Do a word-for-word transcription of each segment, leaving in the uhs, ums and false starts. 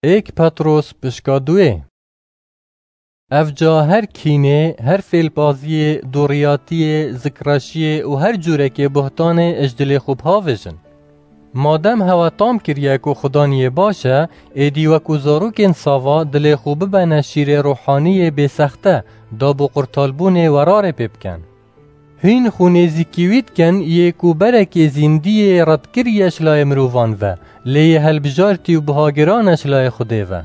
Êk Petros pişka duê. Evca her kînê, her fêlbaziyê, dûriyatiyê, zikreşiyê û her cûrekê buhtanê ji dilê xwe bhavêjin. Madem hewe tam kiriye ku Xudaniyê baş e, êdî wekû zarokên sava dilê xwe bibene şîrê ruhaniyê bêsexte, dab û qurtalbûnê werarê pê bikin. Hîn xwe nêzîkî wî dikin yê ku berekê zîndiyê redkiriye ji layê mirovan ve, lê yê helbijartî û bihagiran e ji layê Xwedê ve.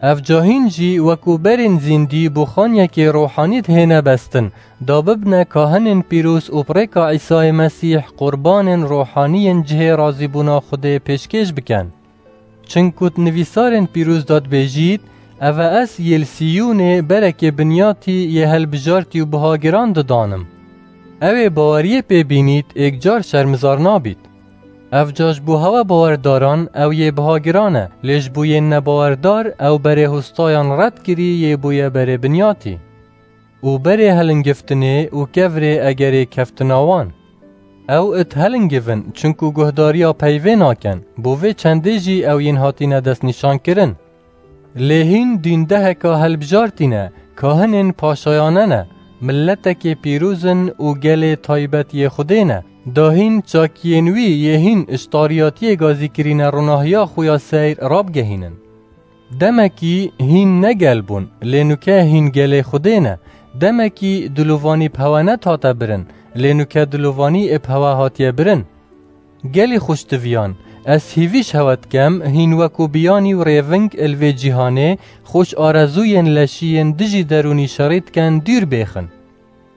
Evca hîn jî wekû berên zîndî bo xaniyekê rohanî dihêne bestin, da bibne kahinên pîroz û bi rêka Îsayê Mesîh qurbanên rohaniyên cihê razîbûna Xwedê pêşkêş bikin. Çinku di nivîsarên pîroz de dibêjît, Eve ez yê li Siyûnê berekê binyatî yê helbijartî û bihagiran didanim. Ew ê baweriyê pê bînît êkcar şermizar nabît. Evca ji bo hewe bawerdaran ew yê bihagiran e, lê ji bo yên nebawerdar ew berê hostayan red kirî yê bûye berê binyatî. Û berê helingiftinê û kevirê egerê keftina wan. Ew it helingivin, çinku guhdariya peyvê nakin, bo vê çendê jî ew yên hatine destnîşankirin. Lê hîn dîndeheka helbijartî ne, kahinên paşayane ne, miletekê pîroz in û gelê taybet yê Xwedê ne, da hîn çakiyên wî yê hîn ji tariyatiyê gazî kirîne ronahiya xwe ya seyr rabigehînin. Demekî hîn ne gel bûn, lê nuke hîn gelê Xwedê ne. Demekî dilovanî bi hewe nedihate birin, lê nuke dilovanî ê bi hewe hatiye birin. Gelî xweştiviyan, ez hîvî ji hewe dikem, hîn wekû biyanî û rêving li vê cîhanê, xwe ji arezûyên leşî yên dijî derûnî şerî dikin dûr bêxin.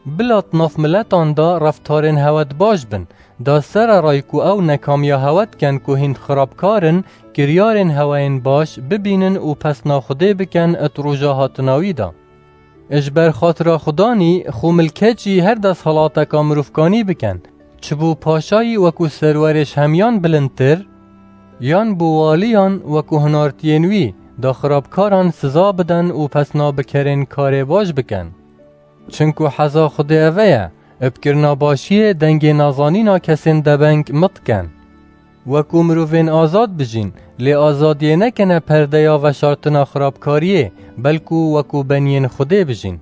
Bila di nav miletan de reftarên hewe di baş bin, da sererayî ku ew nekamiya hewe dikin ku hîn xirabkar in, kiryarên hewe yên baş bibînin û pesna Xwedê bikin di roja hatina wî de. Ji ber xatira Xudanî xwe milkeçî her desthilateka mirovkanî bikin, çi bo paşayî wekû serwerê ji hemiyan bilindtir, yan bo waliyan wekû hinartiyên wî, da xirabkaran siza bidin û pesna bi kerên karê baş bikin. Çinku heza Xwedê eve ye, bi kirina başiyê dengê nazanîna kesên debeng mit dikin. Wekû mirovên azad bijîn, lê azadiyê nekine perdeya veşartina xirabkariyê, belkû wekû beniyên Xwedê bijîn.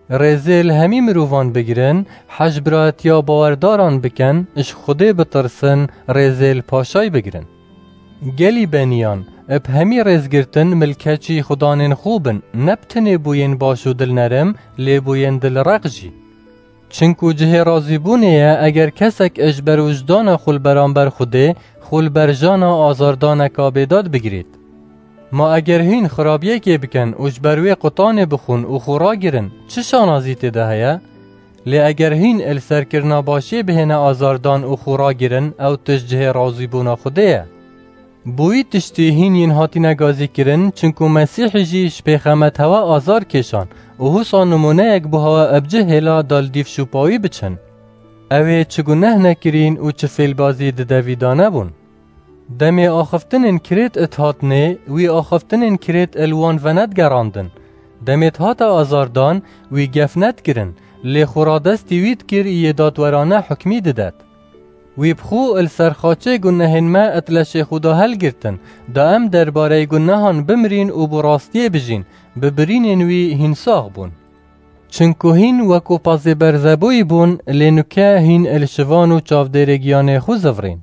Rêzê li hemî mirovan bigirin, hej birayetiya bawerdaran bikin, ji Xwedê bitirsin, rêzê li paşay bigirin. Gelî beniyan, bi hemî rêzgirtin milkeçî xudanên xwe bin, ne bi tenê bo yên baş û dilnerm, lê bo yên dilreq jî. Çinku cihê razîbûnê ye, eger kesek ji ber wijdana xwe li beramber Xwedê, xwe li ber jana azardaneka bêdad bigirêt. Ma eger hîn xirabiyekê bikin û ji ber wê qutanê bixwin û xwe ragirin, çi şanazî tê de heye? Lê eger hîn li serkirina başiyê bihêne azardan û xwe ragirin, ew tişt cihê razîbûna Xwedê ye. Bo wî tiştî hîn yên hatine gazîkirin, çinku Mesîhî jî ji pêxemet hewe azar kêşan û husa nimûneyek bo hewe bi cih hêla da li dîv şûpa wî biçin. Ew ê çi guneh nekirîn û çi fêlbazî di devî de nebûn. Demê axiftinên kirêt it hatnê, wî axiftinên kirêt il wan venedigerandin. Demê dihate azardan, wî gef nedikirin, lê xwe radestî wî dikir yê dadwerane hukmî didet. Wî bi xwe li ser xaçê gunehên me it leşê xwe da helgirtin, da em derbarey gunehan bimirîn û bi rastiyê bijîn, bi birînên wî hîn sax bûn. Çinku hîn wekû pazê berzebûyî bûn, lê nuke hîn li şivan û çavdêrê giyanê xwe zivirîn.